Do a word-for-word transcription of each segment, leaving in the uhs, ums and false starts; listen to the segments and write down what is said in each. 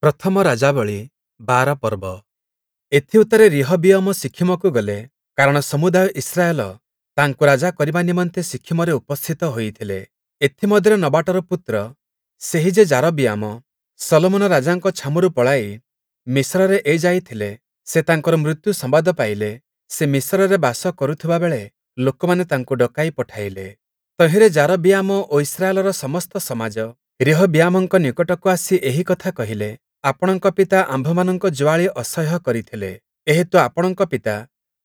ପ୍ରଥମ ରାଜାବଳୀ ବାର ପର୍ବ। ଏଥିଉତ୍ତାରେ ରିହବିୟମ ଶିଖିମକୁ ଗଲେ, କାରଣ ସମୁଦାୟ ଇସ୍ରାଏଲ ତାଙ୍କୁ ରାଜା କରିବା ନିମନ୍ତେ ଶିଖିମରେ ଉପସ୍ଥିତ ହୋଇଥିଲେ। ଏଥିମଧ୍ୟରେ ନବାଟର ପୁତ୍ର ସେହି ଯେ ଯାରବିୟାମ ଶଲୋମନ ରାଜାଙ୍କ ଛାମୁରୁ ପଳାଇ ମିଶରରେ ଏ ଯାଏ ଥିଲେ, ସେ ତାଙ୍କର ମୃତ୍ୟୁ ସମ୍ବାଦ ପାଇଲେ। ସେ ମିଶରରେ ବାସ କରୁଥିବା ବେଳେ ଲୋକମାନେ ତାଙ୍କୁ ଡକାଇ ପଠାଇଲେ। ତହିଁରେ ଯାରବିୟାମ ଓ ଇସ୍ରାଏଲର ସମସ୍ତ ସମାଜ ରିହବିୟାମଙ୍କ ନିକଟକୁ ଆସି ଏହି କଥା କହିଲେ, ଆପଣଙ୍କ ପିତା ଆମ୍ଭମାନଙ୍କ ଯୁଆଳି ଅସହ୍ୟ କରିଥିଲେ। ଏହେତୁ ଆପଣଙ୍କ ପିତା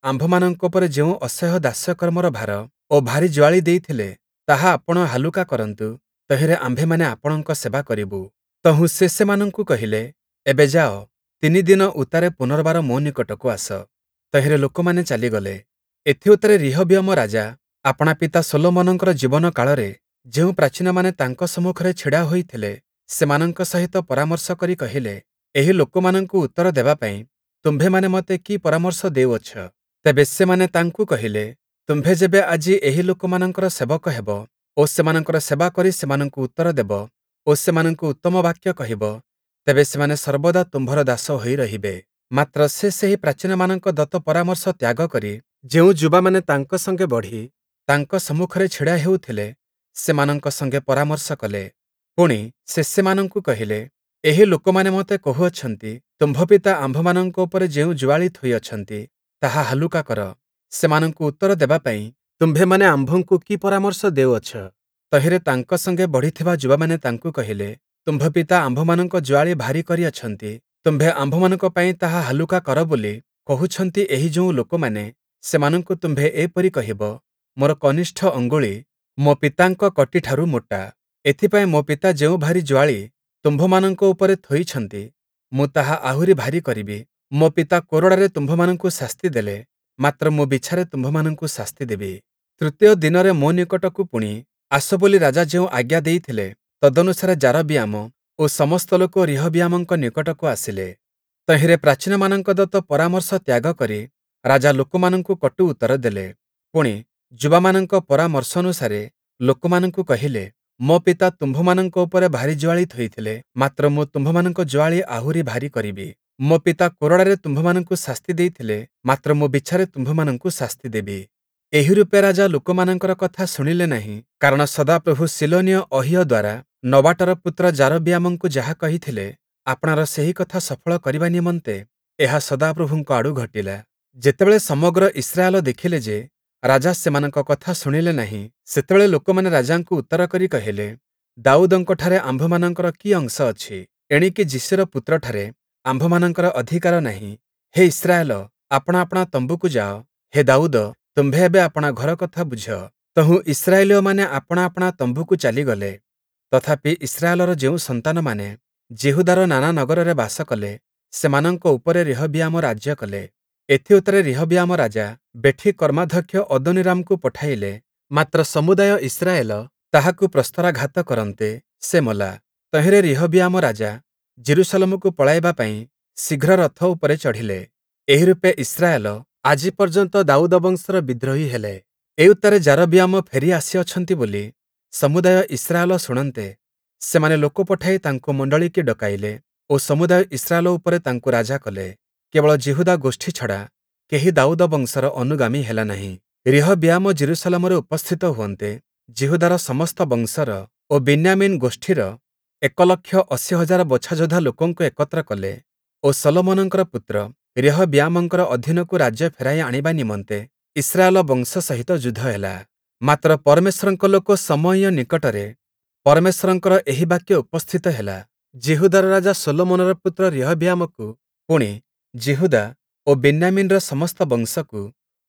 ଆମ୍ଭମାନଙ୍କ ଉପରେ ଯେଉଁ ଅସହ୍ୟ ଦାସ୍ୟକର୍ମର ଭାର ଓ ଭାରୀ ଯୁଆଳି ଦେଇଥିଲେ, ତାହା ଆପଣ ହାଲୁକା କରନ୍ତୁ, ତହିଁରେ ଆମ୍ଭେମାନେ ଆପଣଙ୍କ ସେବା କରିବୁ। ତହୁଁ ସେ ସେମାନଙ୍କୁ କହିଲେ, ଏବେ ଯାଅ, ତିନି ଦିନ ଉତ୍ତାରେ ପୁନର୍ବାର ମୋ ନିକଟକୁ ଆସ। ତହିଁରେ ଲୋକମାନେ ଚାଲିଗଲେ। ଏଥିଉତ୍ତାରେ ରିହବିୟମ ରାଜା ଆପଣା ପିତା ଶଲୋମନଙ୍କର ଜୀବନ କାଳରେ ଯେଉଁ ପ୍ରାଚୀନମାନେ ତାଙ୍କ ସମ୍ମୁଖରେ ଛିଡ଼ା ହୋଇଥିଲେ, ସେମାନଙ୍କ ସହିତ ପରାମର୍ଶ କରି କହିଲେ, ଏହି ଲୋକମାନଙ୍କୁ ଉତ୍ତର ଦେବା ପାଇଁ ତୁମ୍ଭେମାନେ ମୋତେ କି ପରାମର୍ଶ ଦେଉଅଛ? ତେବେ ସେମାନେ ତାଙ୍କୁ କହିଲେ, ତୁମ୍ଭେ ଯେବେ ଆଜି ଏହି ଲୋକମାନଙ୍କର ସେବକ ହେବ ଓ ସେମାନଙ୍କର ସେବା କରି ସେମାନଙ୍କୁ ଉତ୍ତର ଦେବ ଓ ସେମାନଙ୍କୁ ଉତ୍ତମ ବାକ୍ୟ କହିବ, ତେବେ ସେମାନେ ସର୍ବଦା ତୁମ୍ଭର ଦାସ ହୋଇ ରହିବେ। ମାତ୍ର ସେ ସେହି ପ୍ରାଚୀନମାନଙ୍କ ଦତ୍ତ ପରାମର୍ଶ ତ୍ୟାଗ କରି ଯେଉଁ ଯୁବାମାନେ ତାଙ୍କ ସଙ୍ଗେ ବଢ଼ି ତାଙ୍କ ସମ୍ମୁଖରେ ଛିଡ଼ା ହେଉଥିଲେ, ସେମାନଙ୍କ ସଙ୍ଗେ ପରାମର୍ଶ କଲେ। ପୁଣି, ସେ ସେମାନଙ୍କୁ କହିଲେ, ଏହି ଲୋକମାନେ ମୋତେ କହୁଅଛନ୍ତି, ତୁମ୍ଭ ପିତା ଆମ୍ଭମାନଙ୍କ ଉପରେ ଯେଉଁ ଯୁଆଳି ଥୋଇଅଛନ୍ତି, ତାହା ହାଲୁକା କର। ସେମାନଙ୍କୁ ଉତ୍ତର ଦେବା ପାଇଁ ତୁମ୍ଭେମାନେ ଆମ୍ଭଙ୍କୁ କି ପରାମର୍ଶ ଦେଉଅଛ? ତହିଁରେ ତାଙ୍କ ସଙ୍ଗେ ବଢ଼ିଥିବା ଯୁବାମାନେ ତାଙ୍କୁ କହିଲେ, ତୁମ୍ଭ ପିତା ଆମ୍ଭମାନଙ୍କ ଯୁଆଳି ଭାରୀ କରିଅଛନ୍ତି, ତୁମ୍ଭେ ଆମ୍ଭମାନଙ୍କ ପାଇଁ ତାହା ହାଲୁକା କର ବୋଲି କହୁଛନ୍ତି ଏହି ଯେଉଁ ଲୋକମାନେ, ସେମାନଙ୍କୁ ତୁମ୍ଭେ ଏପରି କହିବ, ମୋର କନିଷ୍ଠ ଅଙ୍ଗୁଳି ମୋ ପିତାଙ୍କ କଟିଠାରୁ ମୋଟା। ଏଥିପାଇଁ ମୋ ପିତା ଯେଉଁ ଭାରୀ ଯୁଆଳି ତୁମ୍ଭମାନଙ୍କ ଉପରେ ଥୋଇଛନ୍ତି, ମୁଁ ତାହା ଆହୁରି ଭାରୀ କରିବି। ମୋ ପିତା କୋରଡ଼ାରେ ତୁମ୍ଭମାନଙ୍କୁ ଶାସ୍ତି ଦେଲେ, ମାତ୍ର ମୁଁ ବିଛାରେ ତୁମ୍ଭମାନଙ୍କୁ ଶାସ୍ତି ଦେବି। ତୃତୀୟ ଦିନରେ ମୋ ନିକଟକୁ ପୁଣି ଆସ ବୋଲି ରାଜା ଯେଉଁ ଆଜ୍ଞା ଦେଇଥିଲେ, ତଦନୁସାରେ ଯାରବିୟାମ ଓ ସମସ୍ତ ଲୋକ ରିହବିୟାମଙ୍କ ନିକଟକୁ ଆସିଲେ। ତହିଁରେ ପ୍ରାଚୀନମାନଙ୍କ ଦତ୍ତ ପରାମର୍ଶ ତ୍ୟାଗ କରି ରାଜା ଲୋକମାନଙ୍କୁ କଟୁ ଉତ୍ତର ଦେଲେ। ପୁଣି, ଯୁବାମାନଙ୍କ ପରାମର୍ଶାନୁସାରେ ଲୋକମାନଙ୍କୁ କହିଲେ, ମୋ ପିତା ତୁମ୍ଭମାନଙ୍କ ଉପରେ ଭାରୀ ଯୁଆଳି ଥୋଇଥିଲେ, ମାତ୍ର ମୁଁ ତୁମ୍ଭମାନଙ୍କ ଯୁଆଳି ଆହୁରି ଭାରୀ କରିବି। ମୋ ପିତା କୋରଡ଼ାରେ ତୁମ୍ଭମାନଙ୍କୁ ଶାସ୍ତି ଦେଇଥିଲେ, ମାତ୍ର ମୁଁ ବିଛାରେ ତୁମ୍ଭମାନଙ୍କୁ ଶାସ୍ତି ଦେବି। ଏହି ରୂପେ ରାଜା ଲୋକମାନଙ୍କର କଥା ଶୁଣିଲେ ନାହିଁ, କାରଣ ସଦାପ୍ରଭୁ ଶୀଲୋନୀୟ ଅହୀୟ ଦ୍ୱାରା ନବାଟର ପୁତ୍ର ଯାରବିୟାମଙ୍କୁ ଯାହା କହିଥିଲେ, ଆପଣାର ସେହି କଥା ସଫଳ କରିବା ନିମନ୍ତେ ଏହା ସଦାପ୍ରଭୁଙ୍କ ଆଡ଼ୁ ଘଟିଲା। ଯେତେବେଳେ ସମଗ୍ର ଇସ୍ରାଏଲ ଦେଖିଲେ ଯେ, ରାଜା ସେମାନଙ୍କ କଥା ଶୁଣିଲେ ନାହିଁ, ସେତେବେଳେ ଲୋକମାନେ ରାଜାଙ୍କୁ ଉତ୍ତର କରି କହିଲେ, ଦାଉଦଙ୍କଠାରେ ଆମ୍ଭମାନଙ୍କର କି ଅଂଶ ଅଛି? ଏଣିକି ଯିଶୀର ପୁତ୍ରଠାରେ ଆମ୍ଭମାନଙ୍କର ଅଧିକାର ନାହିଁ। ହେ ଇସ୍ରାଏଲ, ଆପଣା ଆପଣା ତମ୍ବୁକୁ ଯାଅ। ହେ ଦାଉଦ, ତୁମ୍ଭେ ଏବେ ଆପଣା ଘର କଥା ବୁଝ। ତହୁଁ ଇସ୍ରାଏଲୀୟମାନେ ଆପଣା ଆପଣା ତମ୍ବୁକୁ ଚାଲିଗଲେ। ତଥାପି ଇସ୍ରାଏଲର ଯେଉଁ ସନ୍ତାନମାନେ ଯିହୁଦାର ନାନା ନଗରରେ ବାସ କଲେ, ସେମାନଙ୍କ ଉପରେ ରିହବିୟାମ ରାଜ୍ୟ କଲେ। ଏଥିଉତ୍ତାରେ ରିହବିୟାମ ରାଜା ବେଠି କର୍ମାଧ୍ୟକ୍ଷ ଅଦୋନୀରାମକୁ ପଠାଇଲେ, ମାତ୍ର ସମୁଦାୟ ଇସ୍ରାଏଲ ତାହାକୁ ପ୍ରସ୍ତରାଘାତ କରନ୍ତେ, ସେ ମଲା। ତହିଁରେ ରିହବିୟାମ ରାଜା ଯିରୂଶାଲମକୁ ପଳାଇବା ପାଇଁ ଶୀଘ୍ର ରଥ ଉପରେ ଚଢ଼ିଲେ। ଏହି ରୂପେ ଇସ୍ରାଏଲ ଆଜି ପର୍ଯ୍ୟନ୍ତ ଦାଉଦ ବଂଶର ବିଦ୍ରୋହୀ ହେଲେ। ଏଉତ୍ତାରେ ଯାରବିୟାମ ଫେରି ଆସିଅଛନ୍ତି ବୋଲି ସମୁଦାୟ ଇସ୍ରାଏଲ ଶୁଣନ୍ତେ, ସେମାନେ ଲୋକ ପଠାଇ ତାଙ୍କୁ ମଣ୍ଡଳୀକି ଡକାଇଲେ ଓ ସମୁଦାୟ ଇସ୍ରାଏଲ ଉପରେ ତାଙ୍କୁ ରାଜା କଲେ। କେବଳ ଯିହୁଦା ଗୋଷ୍ଠୀ ଛଡ଼ା କେହି ଦାଉଦ ବଂଶର ଅନୁଗାମୀ ହେଲା ନାହିଁ। ରିହବିୟାମ ଯିରୂଶାଲମରେ ଉପସ୍ଥିତ ହୁଅନ୍ତେ, ଯିହୁଦାର ସମସ୍ତ ବଂଶର ଓ ବିନ୍ୟାମୀନ୍ ଗୋଷ୍ଠୀର ଏକ ଲକ୍ଷ ଅଶୀ ହଜାର ବଛାଯୋଦ୍ଧା ଲୋକଙ୍କୁ ଏକତ୍ର କଲେ ଓ ଶଲୋମନଙ୍କର ପୁତ୍ର ରିହବିୟାମଙ୍କର ଅଧୀନକୁ ରାଜ୍ୟ ଫେରାଇ ଆଣିବା ନିମନ୍ତେ ଇସ୍ରାଏଲ ବଂଶ ସହିତ ଯୁଦ୍ଧ ହେଲା। ମାତ୍ର ପରମେଶ୍ୱରଙ୍କ ଲୋକ ଶମୟୀୟ ନିକଟରେ ପରମେଶ୍ୱରଙ୍କର ଏହି ବାକ୍ୟ ଉପସ୍ଥିତ ହେଲା, ଯିହୁଦାର ରାଜା ଶଲୋମନର ପୁତ୍ର ରିହବିୟାମକୁ, ପୁଣି, ଯିହୁଦା ଓ ବିନ୍ୟାମୀନ୍‌ର ସମସ୍ତ ବଂଶକୁ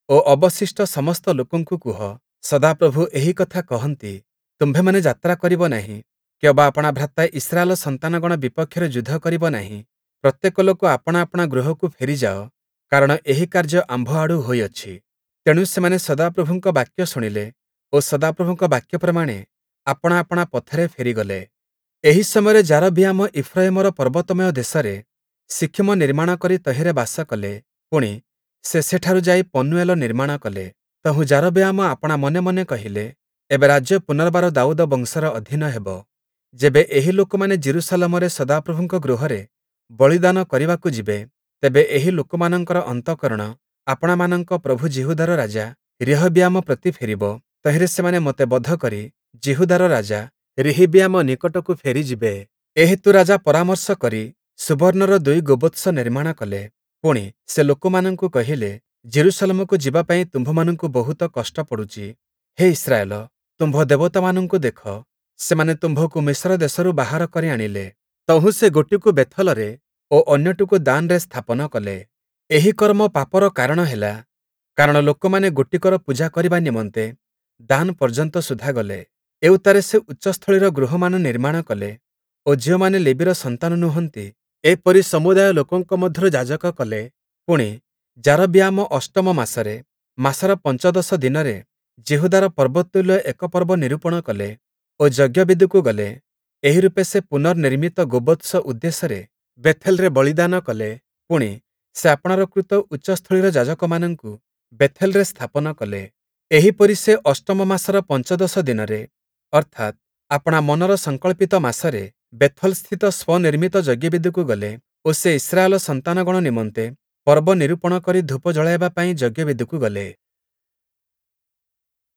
ଓ ଅବଶିଷ୍ଟ ସମସ୍ତ ଲୋକଙ୍କୁ କୁହ, ସଦାପ୍ରଭୁ ଏହି କଥା କହନ୍ତି, ତୁମ୍ଭେମାନେ ଯାତ୍ରା କରିବ ନାହିଁ, କିଅବା ଆପଣା ଭ୍ରାତା ଇସ୍ରାଏଲ ସନ୍ତାନଗଣ ବିପକ୍ଷରେ ଯୁଦ୍ଧ କରିବ ନାହିଁ। ପ୍ରତ୍ୟେକ ଲୋକ ଆପଣା ଆପଣା ଗୃହକୁ ଫେରିଯାଅ, କାରଣ ଏହି କାର୍ଯ୍ୟ ଆମ୍ଭ ଆଡ଼ୁ ହୋଇଅଛି। ତେଣୁ ସେମାନେ ସଦାପ୍ରଭୁଙ୍କ ବାକ୍ୟ ଶୁଣିଲେ ଓ ସଦାପ୍ରଭୁଙ୍କ ବାକ୍ୟ ପ୍ରମାଣେ ଆପଣା ଆପଣା ପଥରେ ଫେରିଗଲେ। ଏହି ସମୟରେ ଯାରବିୟାମ ଇଫ୍ରୟିମର ପର୍ବତମୟ ଦେଶରେ ଶିଖିମ ନିର୍ମାଣ କରି ତହିଁରେ ବାସ କଲେ। ପୁଣି, ସେ ସେଠାରୁ ଯାଇ ପନୂଏଲ ନିର୍ମାଣ କଲେ। ତହୁଁ ଯାରବିୟାମ ଆପଣା ମନେ ମନେ କହିଲେ, ଏବେ ରାଜ୍ୟ ପୁନର୍ବାର ଦାଉଦ ବଂଶର ଅଧୀନ ହେବ। ଯେବେ ଏହି ଲୋକମାନେ ଯିରୂଶାଲମରେ ସଦାପ୍ରଭୁଙ୍କ ଗୃହରେ ବଳିଦାନ କରିବାକୁ ଯିବେ, ତେବେ ଏହି ଲୋକମାନଙ୍କର ଅନ୍ତଃକରଣ ଆପଣାମାନଙ୍କ ପ୍ରଭୁ ଯିହୁଦାର ରାଜା ରିହବିୟାମ ପ୍ରତି ଫେରିବ, ତହିଁରେ ସେମାନେ ମୋତେ ବଧ କରି ଯିହୁଦାର ରାଜା ରିହିବିୟାମ ନିକଟକୁ ଫେରିଯିବେ। ଏହେତୁ ରାଜା ପରାମର୍ଶ କରି ସୁବର୍ଣ୍ଣର ଦୁଇ ଗୋବତ୍ସ ନିର୍ମାଣ କଲେ। ପୁଣି, ସେ ଲୋକମାନଙ୍କୁ କହିଲେ, ଯିରୂଶାଲମକୁ ଯିବା ପାଇଁ ତୁମ୍ଭମାନଙ୍କୁ ବହୁତ କଷ୍ଟ ପଡ଼ୁଛି। ହେ ଇସ୍ରାଏଲ, ତୁମ୍ଭ ଦେବତାମାନଙ୍କୁ ଦେଖ, ସେମାନେ ତୁମ୍ଭକୁ ମିଶର ଦେଶରୁ ବାହାର କରି ଆଣିଲେ। ତହୁଁ ସେ ଗୋଟିକୁ ବେଥଲରେ ଓ ଅନ୍ୟଟିକୁ ଦାନରେ ସ୍ଥାପନ କଲେ। ଏହି କର୍ମ ପାପର କାରଣ ହେଲା, କାରଣ ଲୋକମାନେ ଗୋଟିକର ପୂଜା କରିବା ନିମନ୍ତେ ଦାନ୍ ପର୍ଯ୍ୟନ୍ତ ସୁଦ୍ଧା ଗଲେ। ଏଉତ୍ତାରେ ସେ ଉଚ୍ଚସ୍ଥଳୀର ଗୃହମାନ ନିର୍ମାଣ କଲେ ଓ ଯେଉଁମାନେ ଲେବୀର ସନ୍ତାନ ନୁହନ୍ତି, ଏପରି ସମୁଦାୟ ଲୋକଙ୍କ ମଧ୍ୟରୁ ଯାଜକ କଲେ। ପୁଣି, ଯାରବିୟାମ ଅଷ୍ଟମ ମାସରେ, ମାସର ପଞ୍ଚଦଶ ଦିନରେ ଯିହୁଦାର ପର୍ବତୁଲ୍ୟ ଏକ ପର୍ବ ନିରୂପଣ କଲେ ଓ ଯଜ୍ଞବେଦିକୁ ଗଲେ। ଏହି ରୂପେ ସେ ପୁନର୍ନିର୍ମିତ ଗୋବତ୍ସ ଉଦ୍ଦେଶ୍ୟରେ ବେଥେଲରେ ବଳିଦାନ କଲେ। ପୁଣି, ସେ ଆପଣାର କୃତ ଉଚ୍ଚସ୍ଥଳୀର ଯାଜକମାନଙ୍କୁ ବେଥେଲରେ ସ୍ଥାପନ କଲେ। ଏହିପରି ସେ ଅଷ୍ଟମ ମାସର ପଞ୍ଚଦଶ ଦିନରେ, ଅର୍ଥାତ୍, ଆପଣା ମନର ସଂକଳ୍ପିତ ମାସରେ ବେଥଲସ୍ଥିତ ସ୍ୱନିର୍ମିତ ଯଜ୍ଞବେଦିକୁ ଗଲେ ଓ ସେ ଇସ୍ରାଏଲ ସନ୍ତାନଗଣ ନିମନ୍ତେ ପର୍ବ ନିରୂପଣ କରି ଧୂପ ଜଳାଇବା ପାଇଁ ଯଜ୍ଞବେଦିକୁ ଗଲେ।